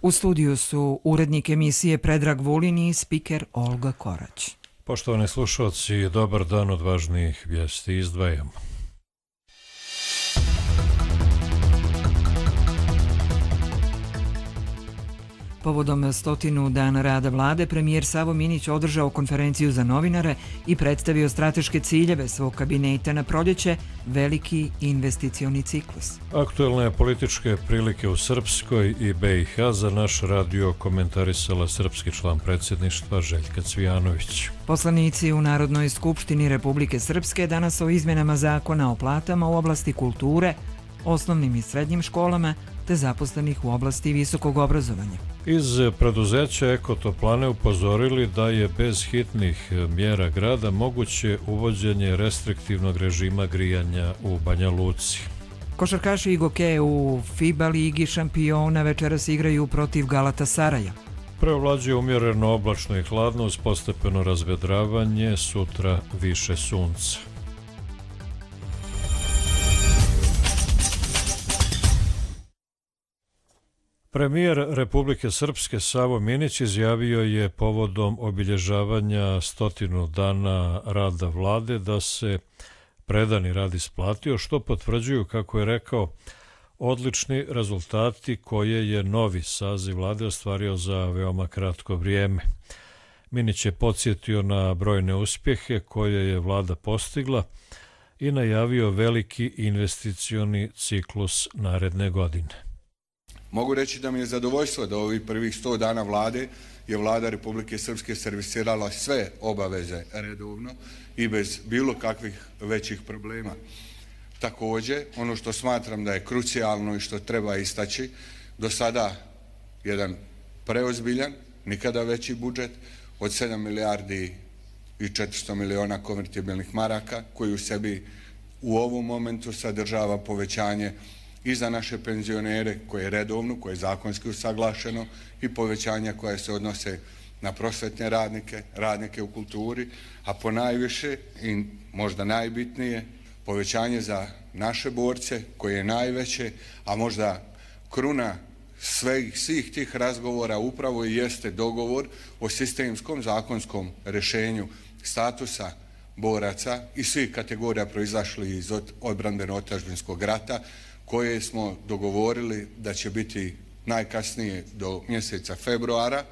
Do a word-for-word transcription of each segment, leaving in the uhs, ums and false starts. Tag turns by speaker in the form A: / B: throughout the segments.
A: U studiju su urednik emisije Predrag Vulin i spiker Olga Korać.
B: Poštovani slušalci, dobar dan, od važnijih vijesti izdvajamo.
A: Povodom stotinu dana rada vlade, premijer Savo Minić održao konferenciju za novinare i predstavio strateške ciljeve svog kabineta na proljeće, veliki investicioni ciklus.
B: Aktuelne političke prilike u Srpskoj i B i H za naš radio komentarisala srpski član predsjedništva Željka Cvijanović.
A: Poslanici u Narodnoj skupštini Republike Srpske danas o izmenama zakona o platama u oblasti kulture, osnovnim i srednjim školama te zaposlenih u oblasti visokog obrazovanja.
B: Iz preduzeća Ekotoplane upozorili da je bez hitnih mjera grada moguće uvođenje restriktivnog režima grijanja u Banja Luci.
A: Košarkaši Igoke u FIBA ligi šampiona večeras igraju protiv Galatasaraja.
B: Preovlađuje umjereno oblačno i hladno uz postepeno razvedravanje, sutra više sunca. Premijer Republike Srpske Savo Minić izjavio je povodom obilježavanja stotinu dana rada vlade da se predani rad isplatio, što potvrđuju, kako je rekao, odlični rezultati koje je novi saziv vlade ostvario za veoma kratko vrijeme. Minić je podsjetio na brojne uspjehe koje je vlada postigla i najavio veliki investicioni ciklus naredne godine.
C: Mogu reći da mi je zadovoljstvo da ovih prvih sto dana vlade je vlada Republike Srpske servisirala sve obaveze redovno i bez bilo kakvih većih problema. Također, ono što smatram da je krucijalno i što treba istaći, do sada jedan preozbiljan, nikada veći budžet od sedam milijardi i četiristo miliona konvertibilnih maraka, koji u sebi u ovom momentu sadržava povećanje i za naše penzionere koje je redovno, koje je zakonski usaglašeno, i povećanja koja se odnose na prosvetne radnike, radnike u kulturi, a ponajviše i možda najbitnije povećanje za naše borce koje je najveće, a možda kruna svih, svih tih razgovora upravo i jeste dogovor o sistemskom zakonskom rješenju statusa boraca i svih kategorija proizašli iz odbrambeno-otadžbinskog rata, koje smo dogovorili da će biti najkasnije do mjeseca februara,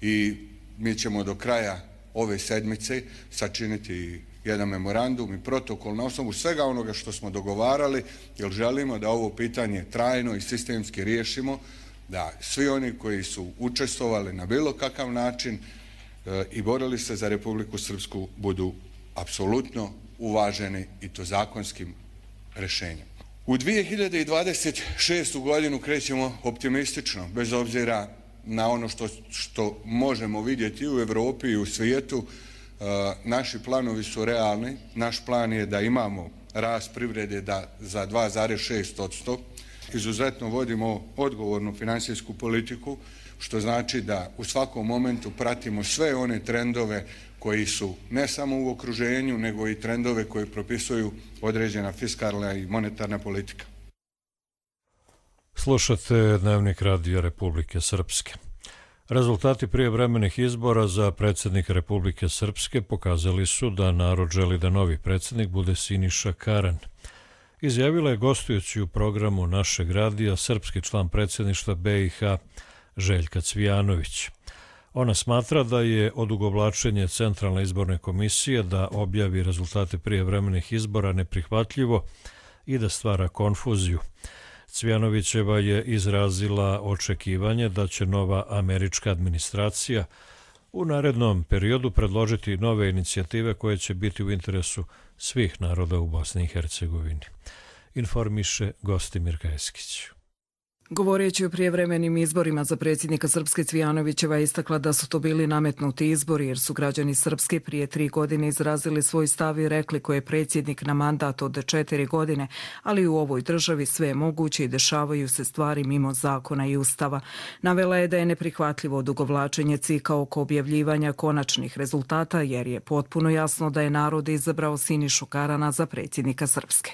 C: i mi ćemo do kraja ove sedmice sačiniti jedan memorandum i protokol na osnovu svega onoga što smo dogovarali, jer želimo da ovo pitanje trajno i sistemski riješimo, da svi oni koji su učestvovali na bilo kakav način e, i borili se za Republiku Srpsku budu apsolutno uvaženi, i to zakonskim rješenjem. U dvije hiljade dvadeset šestu godinu krećemo optimistično, bez obzira na ono što, što možemo vidjeti u Europi i u svijetu. E, naši planovi su realni. Naš plan je da imamo rast privrede da za dva zarez šest posto. Izuzetno vodimo odgovornu financijsku politiku, što znači da u svakom momentu pratimo sve one trendove koji su ne samo u okruženju, nego i trendove koje propisuju određena fiskalna i monetarna politika.
B: Slušate Dnevnik radija Republike Srpske. Rezultati prijevremenih izbora za predsjednika Republike Srpske pokazali su da narod želi da novi predsjednik bude Siniša Karan. Izjavila je gostujući u programu našeg radija srpski član predsjedništva B i H Željka Cvijanović. Ona smatra da je odugovlačenje Centralne izborne komisije da objavi rezultate prijevremenih izbora neprihvatljivo i da stvara konfuziju. Cvijanovićeva je izrazila očekivanje da će nova američka administracija u narednom periodu predložiti nove inicijative koje će biti u interesu svih naroda u Bosni i Hercegovini. Informiše Gostimir Kajskić.
D: Govoreći o prijevremenim izborima za predsjednika Srpske, Cvijanovićeva je istakla da su to bili nametnuti izbori jer su građani Srpske prije tri godine izrazili svoj stav i rekli ko je predsjednik na mandat od četiri godine, ali u ovoj državi sve je moguće i dešavaju se stvari mimo zakona i ustava. Navela je da je neprihvatljivo odugovlačenje cika oko objavljivanja konačnih rezultata jer je potpuno jasno da je narod izabrao Sinišu Karana za predsjednika Srpske.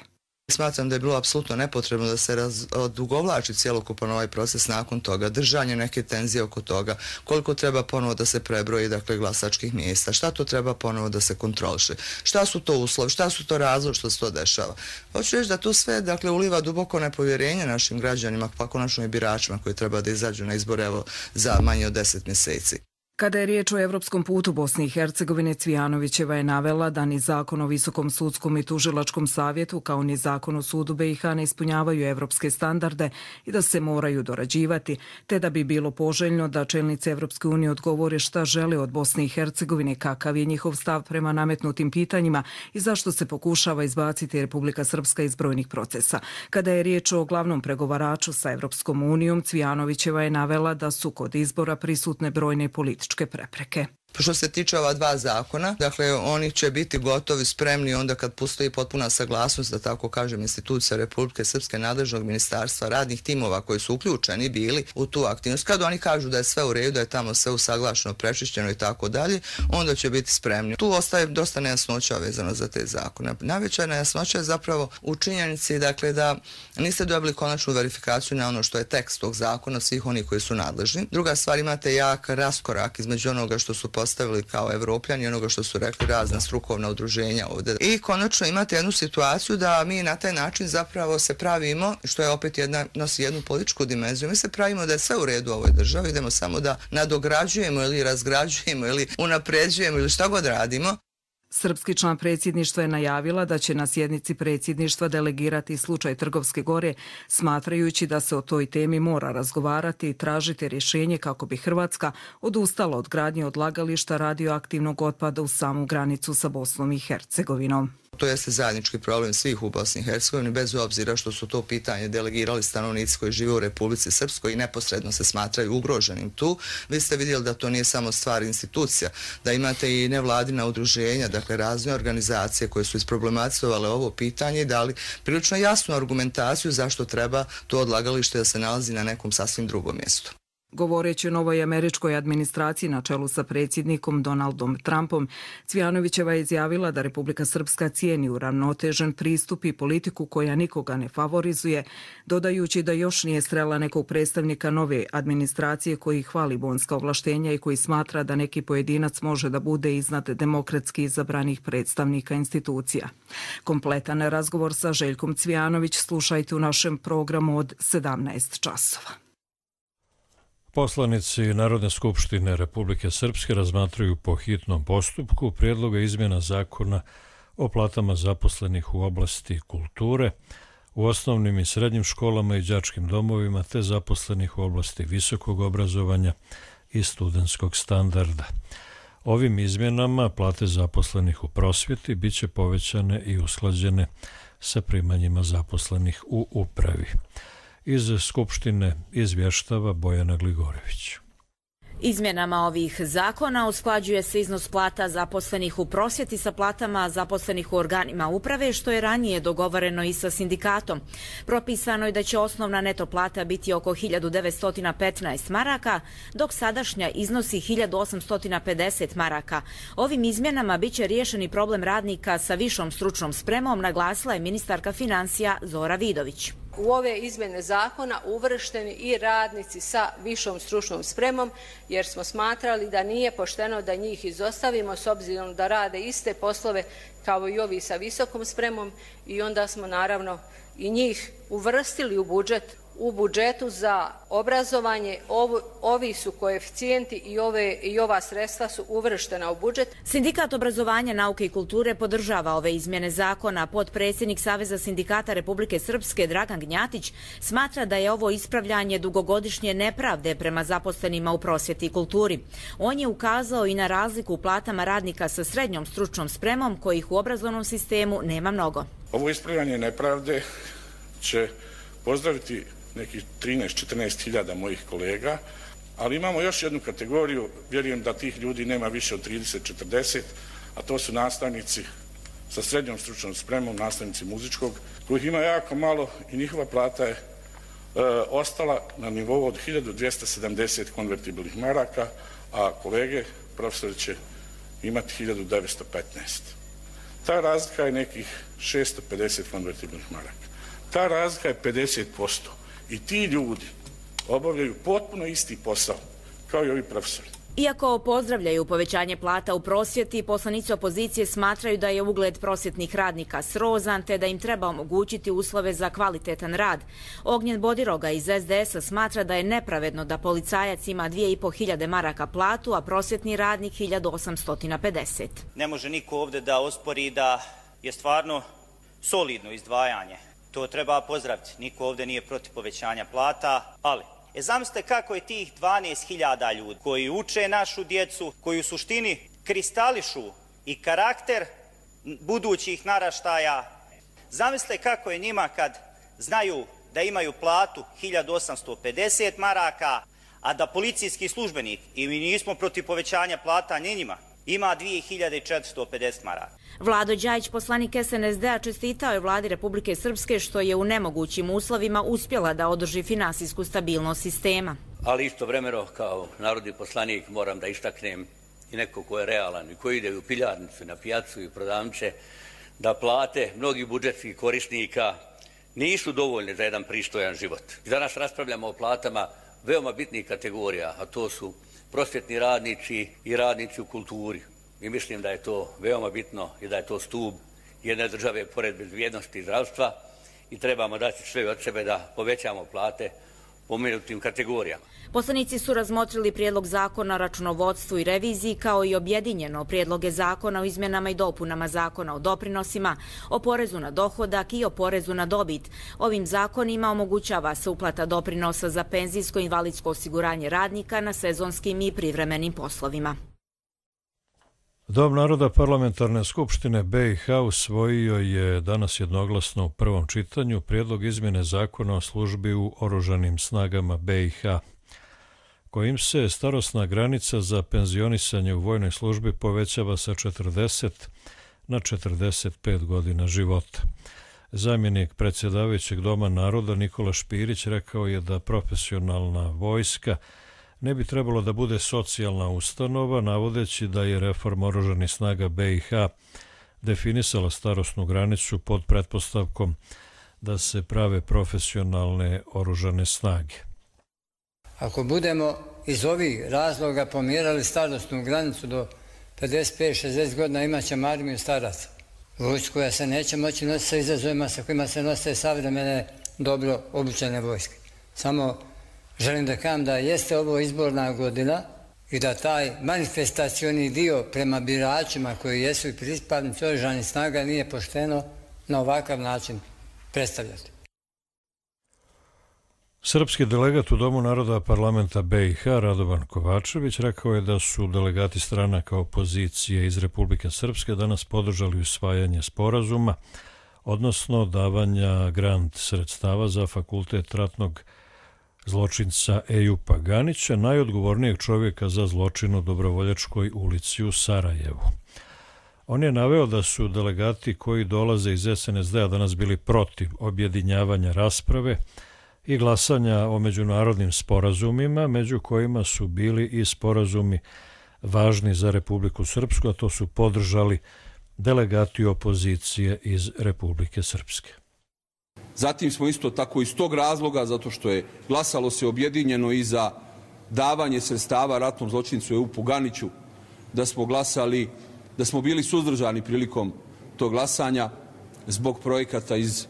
E: Smatram da je bilo apsolutno nepotrebno da se odugovlači cjelokupan ovaj proces nakon toga, držanje neke tenzije oko toga, koliko treba ponovo da se prebroji dakle, glasačkih mjesta, šta to treba ponovo da se kontroliše, šta su to uslovi, šta su to razlozi što se to dešava. Hoću reći da to sve dakle, uliva duboko nepovjerenje našim građanima, pa konačno i biračima koji treba da izađu na izbore evo, za manje od deset mjeseci.
D: Kada je riječ o evropskom putu Bosne i Hercegovine, Cvijanovićeva je navela da ni zakon o Visokom sudskom i tužilačkom savjetu kao ni zakon o sudu B i H ne ispunjavaju evropske standarde i da se moraju dorađivati, te da bi bilo poželjno da čelnici Evropske unije odgovore šta žele od Bosne i Hercegovine, kakav je njihov stav prema nametnutim pitanjima i zašto se pokušava izbaciti Republika Srpska iz brojnih procesa. Kada je riječ o glavnom pregovaraču sa Evropskom unijom, Cvijanovićeva je navela da su kod izbora prisutne brojne političke prepreke.
E: Što se tiče ova dva zakona, dakle oni će biti gotovi, spremni onda kad postoji potpuna saglasnost, da tako kažem, institucija Republike Srpske, nadležnog ministarstva, radnih timova koji su uključeni bili u tu aktivnost. Kad oni kažu da je sve u redu, da je tamo sve usaglašeno, prečišćeno i tako dalje, onda će biti spremni. Tu ostaje dosta nejasnoća vezano za te zakone. Najveća nejasnoća je zapravo u činjenici dakle, da niste dobili konačnu verifikaciju na ono što je tekst tog zakona, svih onih koji su nadležni. Druga stvar, imate jak raskorak između onoga što su postavili kao Evropljani i onoga što su rekli razna strukovna udruženja ovdje. I konačno imate jednu situaciju da mi na taj način zapravo se pravimo, što je opet jedna, nosi jednu političku dimenziju, mi se pravimo da je sve u redu u ovoj državi, idemo samo da nadograđujemo ili razgrađujemo ili unapređujemo ili šta god radimo.
D: Srpski član predsjedništva je najavila da će na sjednici predsjedništva delegirati slučaj Trgovske gore, smatrajući da se o toj temi mora razgovarati i tražiti rješenje kako bi Hrvatska odustala od gradnje odlagališta radioaktivnog otpada u samu granicu sa Bosnom i Hercegovinom.
E: To jeste zajednički problem svih u Bosni i Hercegovini, bez obzira što su to pitanje delegirali stanovnici koji žive u Republici Srpskoj i neposredno se smatraju ugroženim tu. Vi ste vidjeli da to nije samo stvar institucija, da imate i nevladina udruženja, dakle razne organizacije koje su isproblematizovale ovo pitanje i dali prilično jasnu argumentaciju zašto treba to odlagalište da se nalazi na nekom sasvim drugom mjestu.
D: Govoreći o novoj američkoj administraciji na čelu sa predsjednikom Donaldom Trumpom, Cvijanovićeva je izjavila da Republika Srpska cijeni uravnotežen pristup i politiku koja nikoga ne favorizuje, dodajući da još nije srela nekog predstavnika nove administracije koji hvali bonska ovlaštenja i koji smatra da neki pojedinac može da bude iznad demokratski izabranih predstavnika institucija. Kompletan razgovor sa Željkom Cvijanović slušajte u našem programu od sedamnaest časova.
B: Poslanici Narodne skupštine Republike Srpske razmatraju po hitnom postupku prijedloga izmjena zakona o platama zaposlenih u oblasti kulture, u osnovnim i srednjim školama i đačkim domovima, te zaposlenih u oblasti visokog obrazovanja i studentskog standarda. Ovim izmjenama plate zaposlenih u prosvjeti bit će povećane i usklađene sa primanjima zaposlenih u upravi. Iz Skupštine izvještava Bojana Gligorević.
F: Izmjenama ovih zakona usklađuje se iznos plata zaposlenih u prosvjeti sa platama zaposlenih u organima uprave, što je ranije dogovoreno i sa sindikatom. Propisano je da će osnovna neto plata biti oko hiljadu devetsto petnaest maraka, dok sadašnja iznosi hiljadu osamsto pedeset maraka. Ovim izmjenama biće riješeni problem radnika sa višom stručnom spremom, naglasila je ministarka financija Zora Vidović.
G: U ove izmjene zakona uvršteni i radnici sa višom stručnom spremom, jer smo smatrali da nije pošteno da njih izostavimo s obzirom da rade iste poslove kao i ovi sa visokom spremom i onda smo naravno i njih uvrstili u budžet. U budžetu za obrazovanje ovi, ovi su koeficijenti i, ove, i ova sredstva su uvrštena u budžet.
F: Sindikat obrazovanja, nauke i kulture podržava ove izmjene zakona. Potpredsjednik Saveza sindikata Republike Srpske Dragan Gnjatić smatra da je ovo ispravljanje dugogodišnje nepravde prema zaposlenima u prosvjeti i kulturi. On je ukazao i na razliku u platama radnika sa srednjom stručnom spremom kojih u obrazovnom sistemu nema mnogo.
H: Ovo ispravljanje nepravde će pozdraviti nekih trinaest do četrnaest hiljada mojih kolega, ali imamo još jednu kategoriju, vjerujem da tih ljudi nema više od trideset do četrdeset, a to su nastavnici sa srednjom stručnom spremom, nastavnici muzičkog, kojih ima jako malo i njihova plata je e, ostala na nivou od hiljadu dvjesto sedamdeset konvertibilnih maraka, a kolege, profesori će imati hiljadu devetsto petnaest. Ta razlika je nekih šesto pedeset konvertibilnih maraka. Ta razlika je pedeset posto. I ti ljudi obavljaju potpuno isti posao kao i ovi profesori.
F: Iako pozdravljaju povećanje plata u prosvjeti, poslanici opozicije smatraju da je ugled prosvjetnih radnika srozan te da im treba omogućiti uslove za kvalitetan rad. Ognjen Bodiroga iz es de es a smatra da je nepravedno da policajac ima dvije i po hiljade maraka platu, a prosvjetni radnik hiljadu osamsto pedeset.
I: Ne može niko ovdje da ospori da je stvarno solidno izdvajanje. To treba pozdraviti. Niko ovdje nije protiv povećanja plata, ali E zamislite kako je tih dvanaest hiljada ljudi koji uče našu djecu, koji u suštini kristališu i karakter budućih naraštaja. Zamislite kako je njima kad znaju da imaju platu hiljadu osamsto pedeset maraka, a da policijski službenik, i mi nismo protiv povećanja plata ni njima, ima dvije hiljade četiristo pedeset maraka.
F: Vlado Đajić, poslanik es en es de a, čestitao je vladi Republike Srpske što je u nemogućim uslovima uspjela da održi finansijsku stabilnost sistema.
J: Ali istovremeno kao narodni poslanik moram da istaknem i neko ko je realan i koji ide u piljarnicu, na pijacu i prodavnice, da plate mnogih budžetskih korisnika nisu dovoljne za jedan pristojan život. Danas raspravljamo o platama veoma bitnih kategorija, a to su prosvjetni radnici i radnici u kulturi. I mislim da je to veoma bitno i da je to stup jedne države pored bezbjednosti i zdravstva i trebamo dati sve od sebe da povećamo plate pomenutim kategorijama.
F: Poslanici su razmotrili prijedlog zakona o računovodstvu i reviziji kao i objedinjeno prijedloge zakona o izmjenama i dopunama zakona o doprinosima, o porezu na dohodak i o porezu na dobit. Ovim zakonima omogućava se uplata doprinosa za penzijsko i invalidsko osiguranje radnika na sezonskim i privremenim poslovima.
B: Dom naroda Parlamentarne skupštine be i ha usvojio je danas jednoglasno u prvom čitanju prijedlog izmjene zakona o službi u oružanim snagama be i ha, kojim se starosna granica za penzionisanje u vojnoj službi povećava sa četrdeset na četrdeset pet godina života. Zamjenik predsjedavajućeg Doma naroda Nikola Špirić rekao je da profesionalna vojska ne bi trebalo da bude socijalna ustanova, navodeći da je reforma oružanih snaga be i ha definisala starosnu granicu pod pretpostavkom da se prave profesionalne oružane snage.
K: Ako budemo iz ovih razloga pomjerali starosnu granicu do pedeset pet šezdeset godina, imat ćemo armiju staraca. Vojsku koja se neće moći nositi sa izazovima sa kojima se nose savremene dobro obučene vojske. Samo želim da kažem da jeste ovo izborna godina i da taj manifestacioni dio prema biračima koji jesu i pripadnici oružanih snaga nije pošteno na ovakav način predstavljati.
B: Srpski delegat u Domu naroda Parlamenta be i ha Radovan Kovačević rekao je da su delegati stranaka opozicije iz Republike Srpske danas podržali usvajanje sporazuma, odnosno davanja grant sredstava za fakultet ratnog zločinca Ejupa Ganića, najodgovornijeg čovjeka za zločin u Dobrovoljačkoj ulici u Sarajevu. On je naveo da su delegati koji dolaze iz es en es de a danas bili protiv objedinjavanja rasprave i glasanja o međunarodnim sporazumima, među kojima su bili i sporazumi važni za Republiku Srpsku, a to su podržali delegati opozicije iz Republike Srpske.
L: Zatim smo isto tako iz tog razloga, zato što je glasalo se objedinjeno i za davanje sredstava ratnom zločincu Ejupu Ganiću, da smo glasali, da smo bili suzdržani prilikom tog glasanja zbog projekata iz,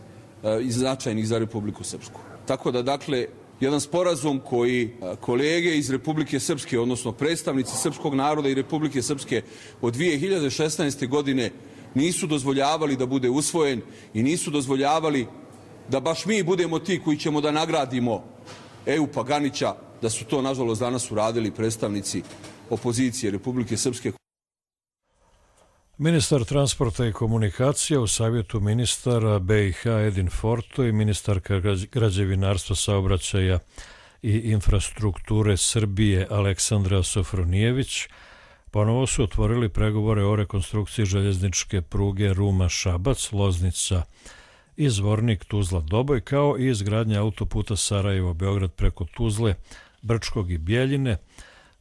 L: iz značajnih za Republiku Srpsku. Tako da, dakle, jedan sporazum koji kolege iz Republike Srpske, odnosno predstavnici srpskog naroda i Republike Srpske od dvije hiljade šesnaeste. godine nisu dozvoljavali da bude usvojen i nisu dozvoljavali da baš mi budemo ti koji ćemo da nagradimo Ejupa Ganića, da su to, nažalost, danas uradili predstavnici opozicije Republike Srpske.
B: Ministar transporta i komunikacija u savjetu ministara be i ha Edin Forto i ministarka građevinarstva, saobraćaja i infrastrukture Srbije Aleksandra Sofronijević ponovo su otvorili pregovore o rekonstrukciji željezničke pruge Ruma-Šabac, Loznica i Zvornik-Tuzla-Doboj, kao i izgradnja autoputa Sarajevo-Beograd preko Tuzle, Brčkog i Bjeljine,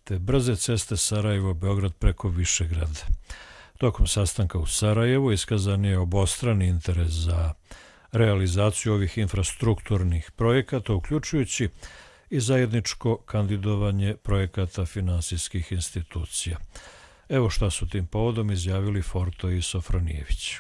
B: te brze ceste Sarajevo-Beograd preko Višegrada. Tokom sastanka u Sarajevu iskazan je obostrani interes za realizaciju ovih infrastrukturnih projekata, uključujući i zajedničko kandidovanje projekata finansijskih institucija. Evo šta su tim povodom izjavili Forto i Sofronijević.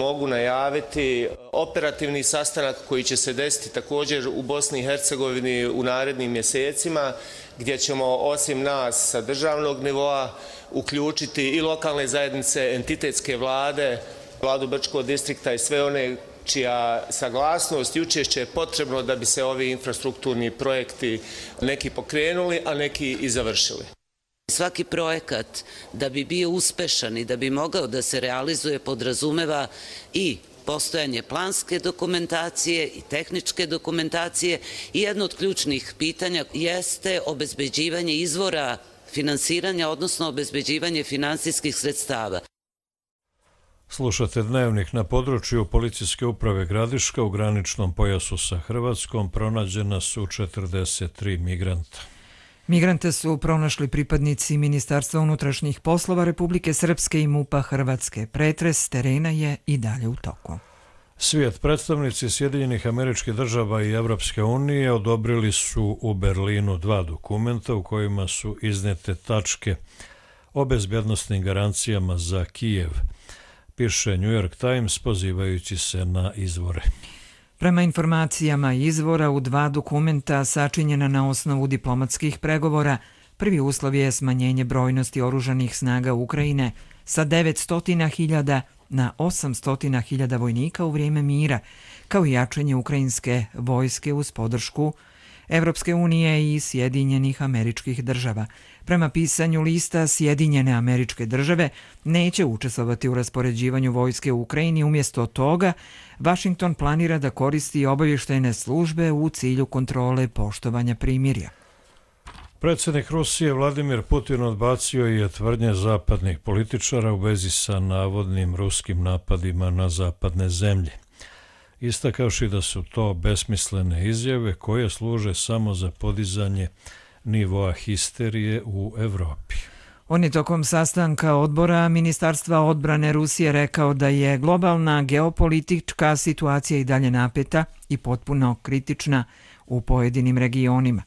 M: Mogu najaviti operativni sastanak koji će se desiti također u Bosni i Hercegovini u narednim mjesecima, gdje ćemo osim nas sa državnog nivoa uključiti i lokalne zajednice, entitetske vlade, vladu Brčkog distrikta i sve one čija saglasnost i učešće je potrebno da bi se ovi infrastrukturni projekti neki pokrenuli, a neki i završili.
N: Svaki projekat da bi bio uspešan i da bi mogao da se realizuje podrazumeva i postojanje planske dokumentacije i tehničke dokumentacije i jedno od ključnih pitanja jeste obezbeđivanje izvora finansiranja, odnosno obezbeđivanje finansijskih sredstava.
B: Slušate Dnevnik. Na području policijske uprave Gradiška u graničnom pojasu sa Hrvatskom pronađena su četrdeset tri migranta.
A: Migrante su pronašli pripadnici Ministarstva unutrašnjih poslova Republike Srpske i MUP-a Hrvatske. Pretres terena je i dalje u toku.
B: Svijet, predstavnici Sjedinjenih Američkih Država i Evropske unije odobrili su u Berlinu dva dokumenta u kojima su iznete tačke o bezbjednostnim garancijama za Kijev, piše New York Times pozivajući se na izvore.
A: Prema informacijama izvora u dva dokumenta sačinjena na osnovu diplomatskih pregovora, prvi uslov je smanjenje brojnosti oružanih snaga Ukrajine sa devetsto hiljada na osamsto hiljada vojnika u vrijeme mira, kao i jačanje ukrajinske vojske uz podršku Evropske unije i Sjedinjenih Američkih Država. Prema pisanju lista, Sjedinjene Američke Države neće učestvovati u raspoređivanju vojske u Ukrajini. Umjesto toga, Vašington planira da koristi obavještajne službe u cilju kontrole poštovanja primirja.
B: Predsjednik Rusije Vladimir Putin odbacio je tvrdnje zapadnih političara u vezi sa navodnim ruskim napadima na zapadne zemlje, istakavši da su to besmislene izjave koje služe samo za podizanje nivoa histerije u Evropi.
A: On je tokom sastanka odbora Ministarstva odbrane Rusije rekao da je globalna geopolitička situacija i dalje napeta i potpuno kritična u pojedinim regionima.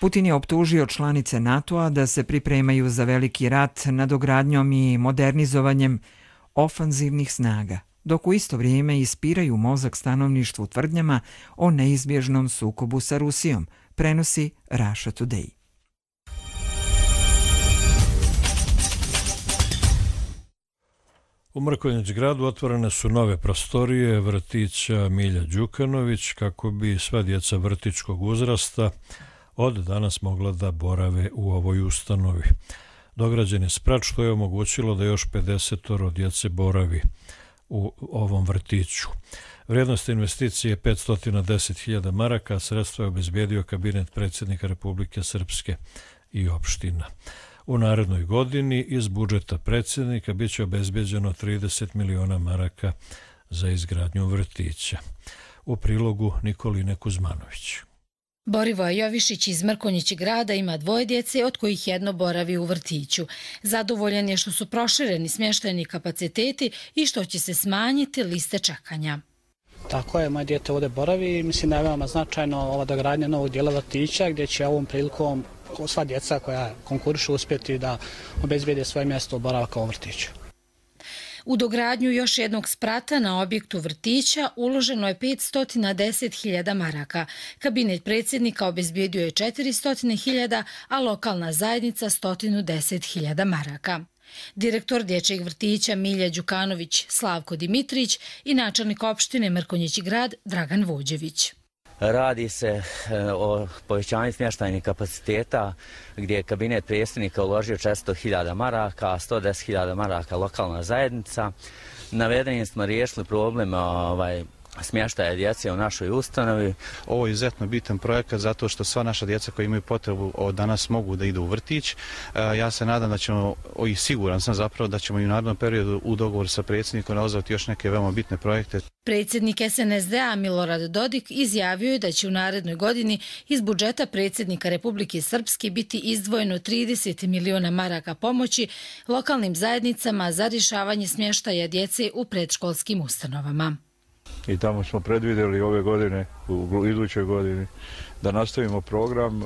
A: Putin je optužio članice NATO-a da se pripremaju za veliki rat nadogradnjom i modernizovanjem ofanzivnih snaga, dok u isto vrijeme ispiraju mozak stanovništvu tvrdnjama o neizbježnom sukobu sa Rusijom, prenosi Russia Today.
B: U Mrkonjić gradu otvorene su nove prostorije vrtića Milja Đukanović kako bi sva djeca vrtićkog uzrasta od danas mogla da borave u ovoj ustanovi. Dograđen je sprat što je omogućilo da još pedesetoro djece boravi u ovom vrtiću. Vrijednost investicije je petsto deset hiljada maraka, a sredstva je obezbijedio kabinet predsjednika Republike Srpske i opština. U narednoj godini iz budžeta predsjednika bit će obezbeđeno trideset miliona maraka za izgradnju vrtića. U prilogu Nikoline Kuzmanović.
O: Borivoje Jovišić iz Mrkonjić grada ima dvoje djece, od kojih jedno boravi u vrtiću. Zadovoljan je što su prošireni smještajni kapaciteti i što će se smanjiti liste čekanja.
P: Tako je, moje dijete ovdje boravi i mislim da je veoma značajno ova dogradnja novog dijela vrtića gdje će ovom prilikom sva djeca koja konkurišu uspjeti da obezbijede svoje mjesto boravka u vrtiću.
O: U dogradnju još jednog sprata na objektu vrtića uloženo je petsto deset hiljada maraka. Kabinet predsjednika obezbijedio je četiristo hiljada, a lokalna zajednica sto deset hiljada maraka. Direktor dječjeg vrtića Milja Đukanović Slavko Dimitrić i načelnik opštine Mrkonjić grad Dragan Vođević.
Q: Radi se o povećanju smještajnih kapaciteta gdje je kabinet predsjednika uložio četiristo hiljada maraka, a sto deset hiljada maraka lokalna zajednica. Navedenim smo riješili problem ovaj, smještaja djece u našoj ustanovi.
R: Ovo je izuzetno bitan projekat zato što sva naša djeca koji imaju potrebu od danas mogu da idu u vrtić. Ja se nadam da ćemo, i siguran sam zapravo da ćemo i u narednom periodu u dogovoru sa predsjednikom realizovati još neke veoma bitne projekte.
O: Predsjednik S N S D A Milorad Dodik izjavio je da će u narednoj godini iz budžeta predsjednika Republike Srpske biti izdvojeno trideset miliona maraka pomoći lokalnim zajednicama za rješavanje smještaja djece u predškolskim ustanovama.
S: I tamo smo predvidjeli ove godine, u idućoj godini, da nastavimo program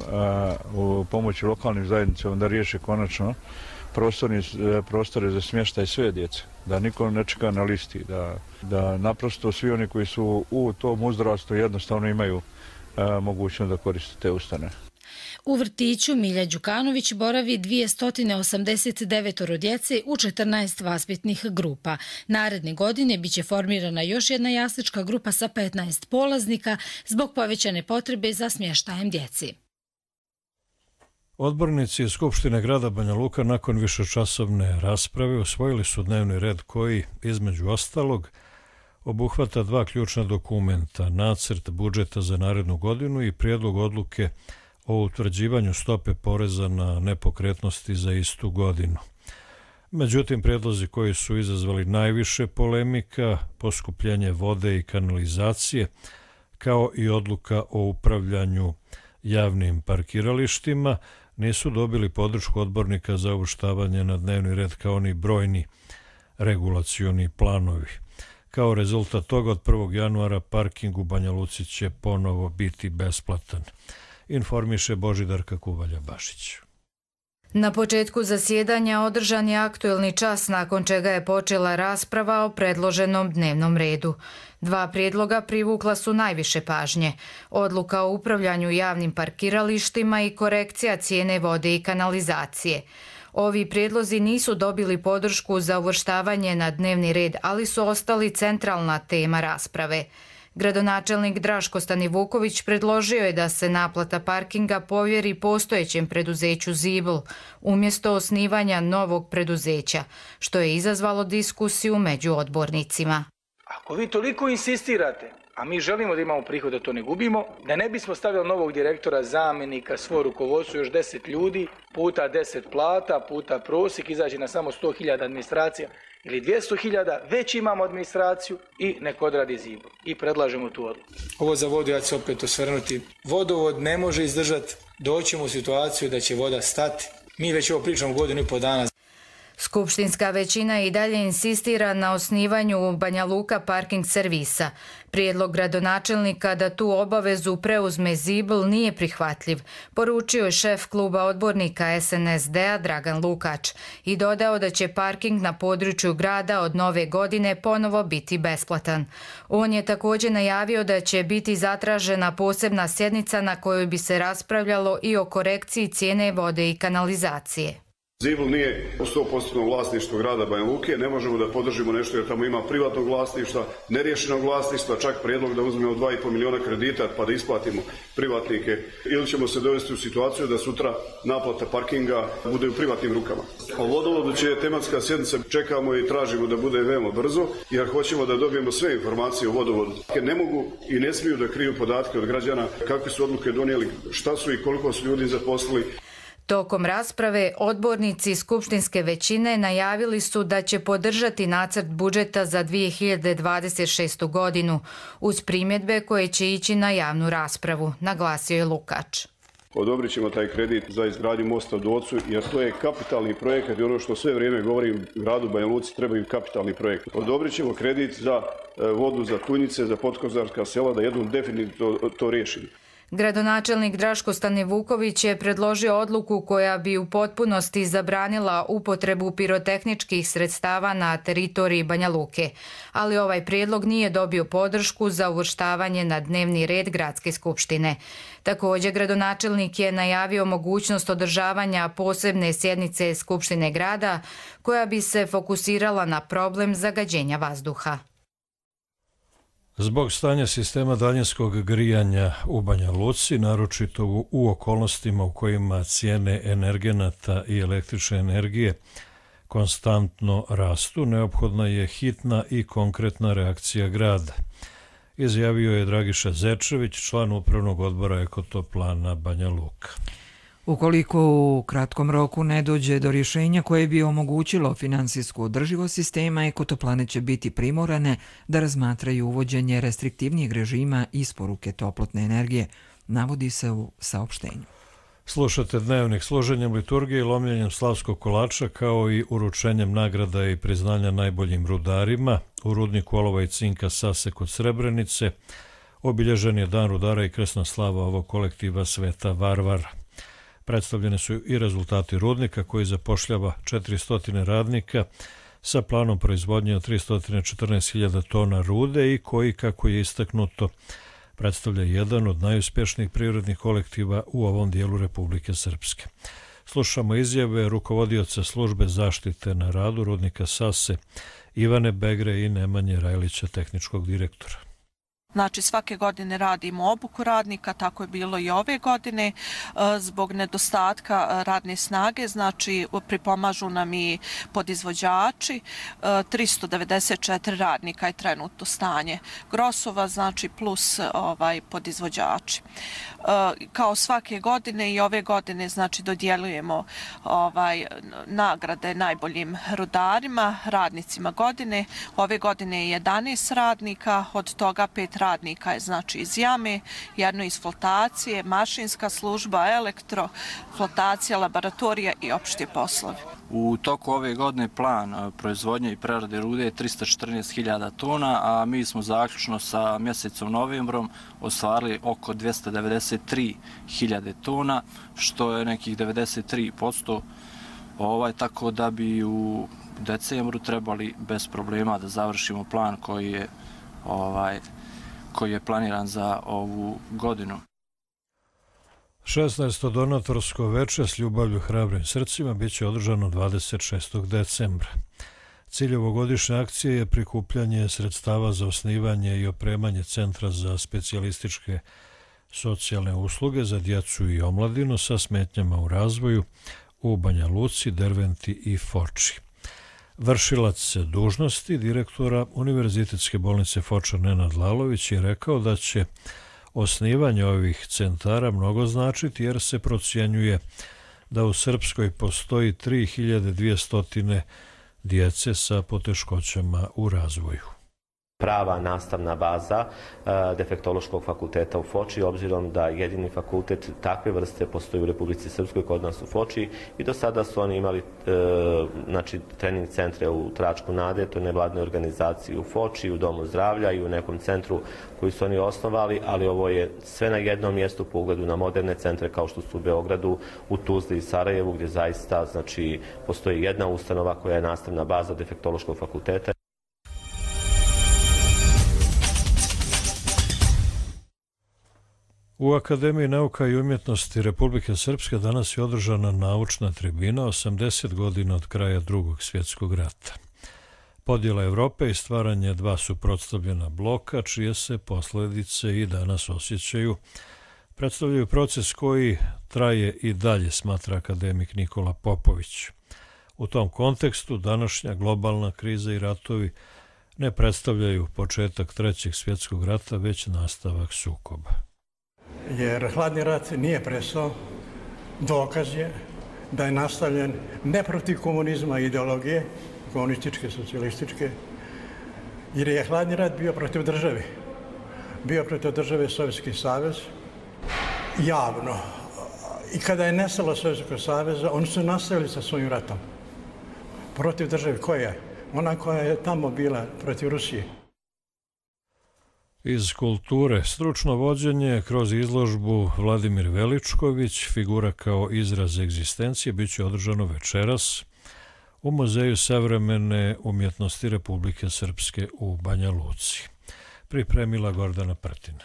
S: u pomoći lokalnim zajednicama da riješe konačno prostore za smještaj sve djece, da niko ne čeka na listi, da, da naprosto svi oni koji su u tom uzrastu jednostavno imaju mogućnost da koriste te ustanove.
O: U vrtiću Milja Đukanović boravi dvjesto osamdeset devet djece u četrnaest vaspitnih grupa. Naredne godine biće formirana još jedna jaslička grupa sa petnaest polaznika zbog povećane potrebe za smještajem djeci.
B: Odbornici Skupštine grada Banja Luka nakon višečasovne rasprave usvojili su dnevni red koji, između ostalog, obuhvata dva ključna dokumenta, nacrt budžeta za narednu godinu i prijedlog odluke o utvrđivanju stope poreza na nepokretnosti za istu godinu. Međutim, prijedlozi koji su izazvali najviše polemika, poskupljenje vode i kanalizacije, kao i odluka o upravljanju javnim parkiralištima, nisu dobili podršku odbornika za uvrštavanje na dnevni red kao ni brojni regulacioni planovi. Kao rezultat toga od prvog januara parking u Banja Luci će ponovo biti besplatan, informiše Božidarka Kuvalja-Bašić.
T: Na početku zasjedanja održan je aktuelni čas nakon čega je počela rasprava o predloženom dnevnom redu. Dva prijedloga privukla su najviše pažnje. Odluka o upravljanju javnim parkiralištima i korekcija cijene vode i kanalizacije. Ovi prijedlozi nisu dobili podršku za uvrštavanje na dnevni red, ali su ostali centralna tema rasprave. Gradonačelnik Draško Stanivuković predložio je da se naplata parkinga povjeri postojećem preduzeću Zibl umjesto osnivanja novog preduzeća, što je izazvalo diskusiju među odbornicima.
U: Ako vi toliko insistirate, a mi želimo da imamo prihod da to ne gubimo, da ne bismo stavili novog direktora, zamjenika, svo rukovodstvo, još deset ljudi, puta deset plata, puta prosjek, izađe na samo sto hiljada administracija ili dvjesto hiljada, već imamo administraciju i nek odradi Zibl. I predlažemo tu odluku. Ovo za vodu, ja ću se opet osvrnuti. Vodovod ne može izdržati, doćemo u situaciju da će voda stati. Mi već ovo pričamo godinu i po dana.
T: Skupštinska većina i dalje insistira na osnivanju Banja Luka parking servisa. Prijedlog gradonačelnika da tu obavezu preuzme Zibl nije prihvatljiv, poručio je šef kluba odbornika S N S D A Dragan Lukač i dodao da će parking na području grada od nove godine ponovo biti besplatan. On je također najavio da će biti zatražena posebna sjednica na kojoj bi se raspravljalo i o korekciji cijene vode i kanalizacije.
V: Zibl nije u sto posto vlasništvo grada Banja Luke, ne možemo da podržimo nešto jer tamo ima privatnog vlasništva, neriješenog vlasništva, čak prijedlog da uzmemo dva i pol miliona kredita pa da isplatimo privatnike, ili ćemo se dovesti u situaciju da sutra naplata parkinga bude u privatnim rukama. O vodovodu će tematska sjednica, čekamo i tražimo da bude veoma brzo jer hoćemo da dobijemo sve informacije o vodovodu. Ne mogu i ne smiju da kriju podatke od građana kakve su odluke donijeli, šta su i koliko su ljudi zaposlili.
T: Tokom rasprave odbornici skupštinske većine najavili su da će podržati nacrt budžeta za dvije hiljade dvadeset šestu godinu uz primjedbe koje će ići na javnu raspravu, naglasio je Lukač.
V: Odobrit ćemo taj kredit za izgradnju mosta u Docu jer to je kapitalni projekat i ono što sve vrijeme govorim gradu Banja Luci trebaju kapitalni projekt. Odobrit ćemo kredit za vodu, za Tunjice, za podkozarska sela da jednom definitivno to, to riješimo.
T: Gradonačelnik Draško Stanivuković je predložio odluku koja bi u potpunosti zabranila upotrebu pirotehničkih sredstava na teritoriji Banja Luke, ali ovaj prijedlog nije dobio podršku za uvrštavanje na dnevni red gradske skupštine. Također, gradonačelnik je najavio mogućnost održavanja posebne sjednice Skupštine grada koja bi se fokusirala na problem zagađenja vazduha.
B: Zbog stanja sistema daljinskog grijanja u Banja Luci, naročito u okolnostima u kojima cijene energenata i električne energije konstantno rastu, neophodna je hitna i konkretna reakcija grada. izjavio je Dragiša Zečević, član upravnog odbora Ekotoplana Banja Luka.
A: Ukoliko u kratkom roku ne dođe do rješenja koje bi omogućilo finansijsku održivost sistema, Ekotoplane će biti primorane da razmatraju uvođenje restriktivnijeg režima isporuke toplotne energije, navodi se u saopštenju.
B: Slušate Dnevnik služenjem liturgije i lomljenjem slavskog kolača, kao i uručenjem nagrada i priznanja najboljim rudarima. U rudniku olova i cinka Sase kod Srebrenice obilježen je Dan rudara i krsna slava ovog kolektiva Sveta Varvara. Predstavljene su i rezultati rudnika koji zapošljava četiristo radnika sa planom proizvodnje od tristo četrnaest hiljada tona rude i koji, kako je istaknuto, predstavlja jedan od najuspješnijih privrednih kolektiva u ovom dijelu Republike Srpske. Slušamo izjave rukovodioca službe zaštite na radu rudnika Sase Ivane Begre i Nemanje Rajlića, tehničkog direktora.
C: Znači svake godine radimo obuku radnika, tako je bilo i ove godine. Zbog nedostatka radne snage, znači pripomažu nam i podizvođači. tristo devedeset četiri radnika je trenutno stanje Grosova, znači plus ovaj podizvođači. Kao svake godine i ove godine znači dodjeljujemo ovaj nagrade najboljim rudarima, radnicima godine. Ove godine je jedanaest radnika, od toga pet radnika radnika je znači iz jame, jedno iz flotacije, mašinska služba, elektro, flotacija, laboratorija i opšte poslove.
E: U toku ove godine plan proizvodnje i prerade rude je tristo četrnaest hiljada tona, a mi smo zaključno sa mjesecom novembrom ostvarili oko dvjesto devedeset tri hiljade tona, što je nekih devedeset tri posto, ovaj, tako da bi u decembru trebali bez problema da završimo plan koji je ovaj koji je planiran za ovu godinu.
B: šesnaesto donatorsko veče s ljubavlju hrabrim srcima biće održano dvadeset šestog decembra. Cilj ovogodišnje akcije je prikupljanje sredstava za osnivanje i opremanje Centra za specijalističke socijalne usluge za djecu i omladinu sa smetnjama u razvoju u Banja Luci, Derventi i Foči. Vršilac dužnosti direktora Univerzitetske bolnice Foča Nenad Lalović je rekao da će osnivanje ovih centara mnogo značiti, jer se procjenjuje da u Srpskoj postoji tri hiljade dvjesto djece sa poteškoćama u razvoju.
W: Prava nastavna baza defektološkog fakulteta u Foči, obzirom da jedini fakultet takve vrste postoji u Republici Srpskoj, kod nas u Foči, i do sada su oni imali znači, trening centre u Tračku Nade, to je nevladne organizacije u Foči, u Domu zdravlja i u nekom centru koji su oni osnovali, ali ovo je sve na jednom mjestu po ugledu na moderne centre kao što su u Beogradu, u Tuzli i Sarajevu, gdje zaista znači, postoji jedna ustanova koja je nastavna baza defektološkog fakulteta.
B: U Akademiji nauka i umjetnosti Republike Srpske danas je održana naučna tribina osamdeset godina od kraja Drugog svjetskog rata. Podjela Evrope i stvaranje dva suprotstavljena bloka, čije se posljedice i danas osjećaju, predstavljaju proces koji traje i dalje, smatra akademik Nikola Popović. U tom kontekstu današnja globalna kriza i ratovi ne predstavljaju početak Trećeg svjetskog rata, već nastavak sukoba.
X: Jer hladni rat nije prestao, dokaz je da je nastavljen ne protiv komunizma i ideologije, komunističke, socijalističke, jer je hladni rat bio protiv države. Bio protiv države Sovjetski savez, javno. I kada je nestalo Sovjetskog saveza, oni su nastavili sa svojim ratom. Protiv države koja je? Ona koja je tamo bila protiv Rusije.
B: Iz kulture stručno vođenje kroz izložbu Vladimir Veličković, figura kao izraz egzistencije, bit će održano večeras u Muzeju savremene umjetnosti Republike Srpske u Banja Luci. Pripremila Gordana Prtina.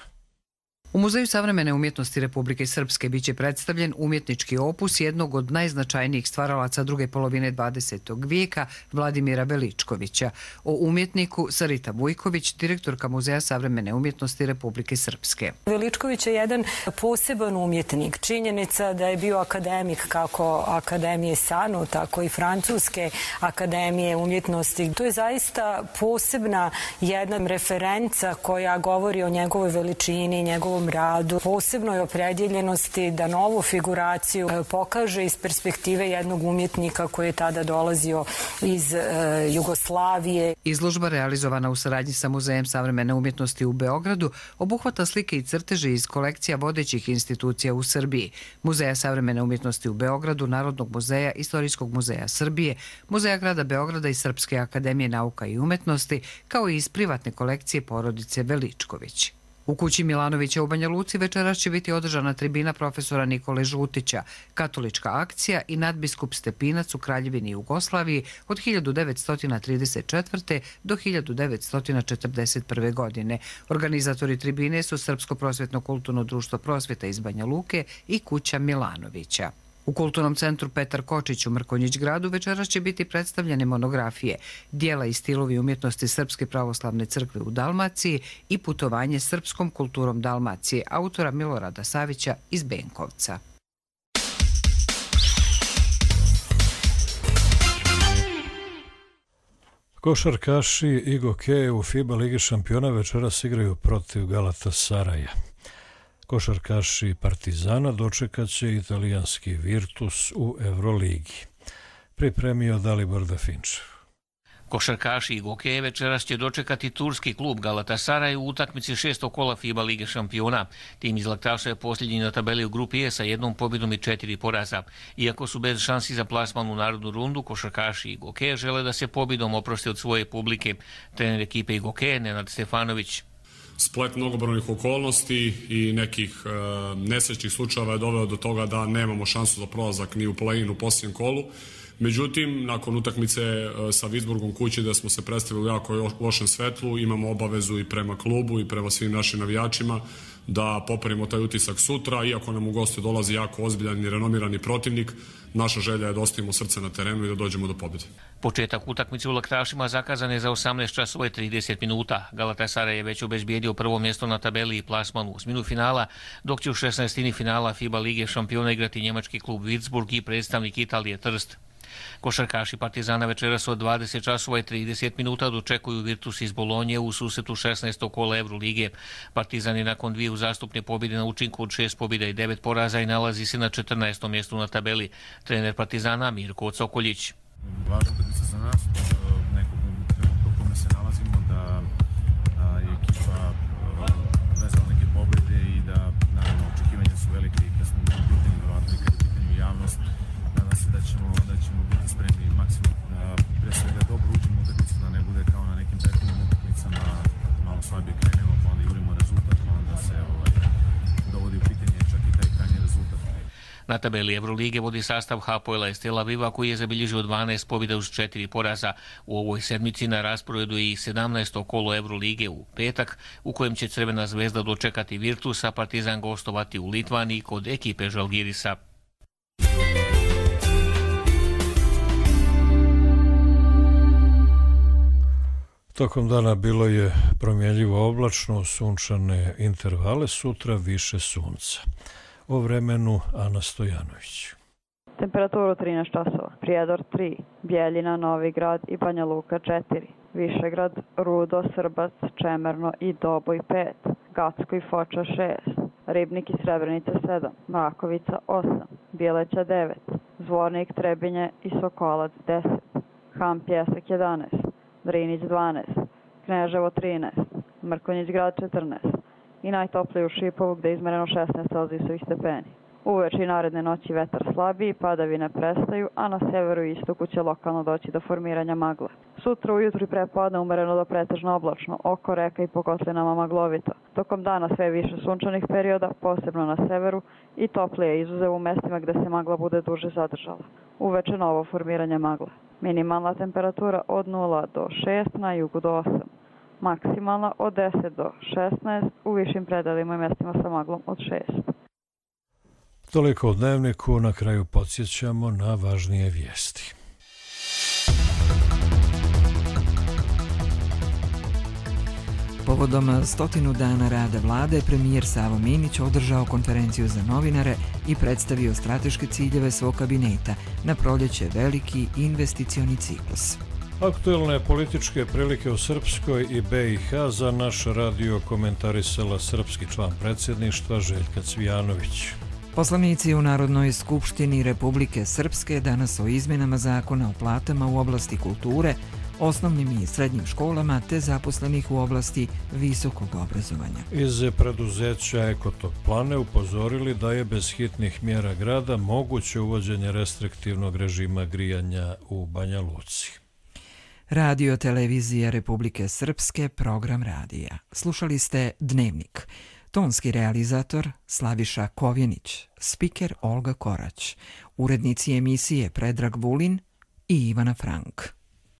D: U Muzeju savremene umjetnosti Republike Srpske biće predstavljen umjetnički opus jednog od najznačajnijih stvaralaca druge polovine dvadesetog vijeka, Vladimira Veličkovića. O umjetniku Sarita Vujković, direktorka Muzeja savremene umjetnosti Republike Srpske.
G: Veličković je jedan poseban umjetnik. Činjenica da je bio akademik kako Akademije Sanu, tako i Francuske akademije umjetnosti. To je zaista posebna jedna referenca koja govori o njegovoj veličini, njegovom radu, posebnoj opredjeljenosti da novu figuraciju pokaže iz perspektive jednog umjetnika koji je tada dolazio iz e, Jugoslavije.
D: Izložba realizovana u saradnji sa Muzejem savremene umjetnosti u Beogradu obuhvata slike i crteže iz kolekcija vodećih institucija u Srbiji, Muzeja savremene umjetnosti u Beogradu, Narodnog muzeja, Istorijskog muzeja Srbije, Muzeja grada Beograda i Srpske akademije nauka i umetnosti, kao i iz privatne kolekcije porodice Veličković. U kući Milanovića u Banja Luci večeras će biti održana tribina profesora Nikole Žutića, katolička akcija i nadbiskup Stepinac u Kraljevini Jugoslaviji od hiljadu devetsto trideset četvrte. do hiljadu devetsto četrdeset prve. godine. Organizatori tribine su Srpsko prosvjetno kulturno društvo prosvjeta iz Banja Luke i kuća Milanovića. U Kulturnom centru Petar Kočić u Mrkonjić gradu večeras će biti predstavljene monografije, dijela i stilovi umjetnosti Srpske pravoslavne crkve u Dalmaciji i putovanje srpskom kulturom Dalmacije, autora Milorada Savića iz Benkovca.
B: Košarkaši i gokeje u FIBA Ligi šampiona večeras igraju protiv Galatasaraja. Košarkaši Partizana dočekat će italijanski Virtus u Euroligi. Pripremio Dalibor Dafinčev.
H: Košarkaši i gokeje večeras će dočekati turski klub Galatasaray u utakmici šestog kola FIBA Lige šampiona. Tim iz Laktaša je posljednji na tabeli u grupi E sa jednom pobjedom i četiri poraza. Iako su bez šansi za plasman u narodnu rundu, košarkaši i gokeje žele da se pobjedom oproste od svoje publike. Trener ekipe i gokeje Nenad Stefanović.
I: Splet mnogobrojnih okolnosti i nekih e, nesrećnih slučajeva je doveo do toga da nemamo šansu za prolazak ni u play-in u posljednjem kolu. Međutim, nakon utakmice e, sa Viborgom kući da smo se predstavili u jako lošem svetlu, imamo obavezu i prema klubu i prema svim našim navijačima da popravimo taj utisak sutra. Iako nam u goste dolazi jako ozbiljan i renomirani protivnik, naša želja je da ostavimo srce na terenu i da dođemo do pobjede.
H: Početak utakmice u Laktašima zakazan je za osamnaest časova i trideset minuta. Galatasaray je već obezbijedio prvo mjesto na tabeli i plasman u osminu finala, dok će u šesnaestini finala FIBA Lige šampiona igrati njemački klub Würzburg i predstavnik Italije Trst. Košarkaši Partizana večeras od dvadeset časova i trideset minuta dočekuju Virtus iz Bolonje u susretu šesnaestog kola Eurolige. Partizan je nakon dvije uzastupne pobjede na učinku od šest pobjeda i devet poraza i nalazi se na četrnaestom mjestu na tabeli. Trener Partizana Mirko Cokoljić.
Y: Važna utakmica za nas, nekog trenutka u kome se nalazimo, da je ekipa vezala neke pobjede i da naravno očekivanja su velike i kad smo u pitanju, verovatno i kad je u pitanju javnost. Nadam se da ćemo, da ćemo biti spremni maksimum da pre svega dobro uđemo u utakmicu, da ne bude kao na nekim prethodnim utakmicama, malo slabije krenemo, pa onda jurimo rezultat, pa onda se ovaj, dovodi u pitanje čak i taj krajnji rezultat.
H: Na tabeli Evrolige vodi sastav Hapoela iz Tel Aviva koji je zabilježio dvanaest pobjeda uz četiri poraza. U ovoj sedmici na rasporedu je i sedamnaesto kolo Evrolige u petak, u kojem će Crvena zvezda dočekati Virtusa, Partizan gostovati u Litvaniji kod ekipe Žalgirisa.
B: Tokom dana bilo je promjenljivo oblačno, sunčane intervale, sutra više sunca. O vremenu Ana Stojanović.
Z: Temperaturu trinaest časova, Prijedor tri, Bjeljina, Novi Grad i Banja Luka četiri, Višegrad, Rudo, Srbac, Čemerno i Doboj pet, Gacko i Foča šest, Ribnik i Srebrenica sedam, Mrakovica osam, Bjeleća devet, Zvornik, Trebinje i Sokolac deset, Ham Pjesak jedanaest, Drinić dvanaest, Kneževo trinaest, Mrkonjić grad četrnaest i najtoplije u Šipovu gde je izmereno šesnaest celzijusovih stepeni. Uveče i naredne noći vetar slabiji, padavine prestaju, a na severu i istoku će lokalno doći do formiranja magle. Sutra ujutru i prepodne umereno do pretežno oblačno, oko reka i po kotlinama maglovito. Tokom dana sve više sunčanih perioda, posebno na severu, i toplije izuzev u mestima gde se magla bude duže zadržala. Uveče novo formiranje magle. Minimalna temperatura od nula do šest, na jugu do osam. maksimalna od deset do šesnaest, u višim predelima i mjestima sa maglom od šest.
B: Toliko o dnevniku, na kraju podsjećamo na važnije vijesti.
A: Povodom stotinu dana rada vlade, premijer Savo Minić održao konferenciju za novinare i predstavio strateške ciljeve svog kabineta, na proljeće veliki investicioni ciklus.
B: Aktuelne političke prilike u Srpskoj i B i H za naš radio komentarisala srpski član predsjedništva Željka Cvijanović.
A: Poslanici u Narodnoj skupštini Republike Srpske danas o izmjenama zakona o platama u oblasti kulture, osnovnim i srednjim školama te zaposlenih u oblasti visokog obrazovanja.
B: Iz preduzeća Ekotop Plane upozorili da je bez hitnih mjera grada moguće uvođenje restriktivnog režima grijanja u Banja Luci.
A: Radio Televizija Republike Srpske, program radija. Slušali ste Dnevnik. Tonski realizator Slaviša Kovjenić, spiker Olga Korać, urednici emisije Predrag Vulin i Ivana Frank.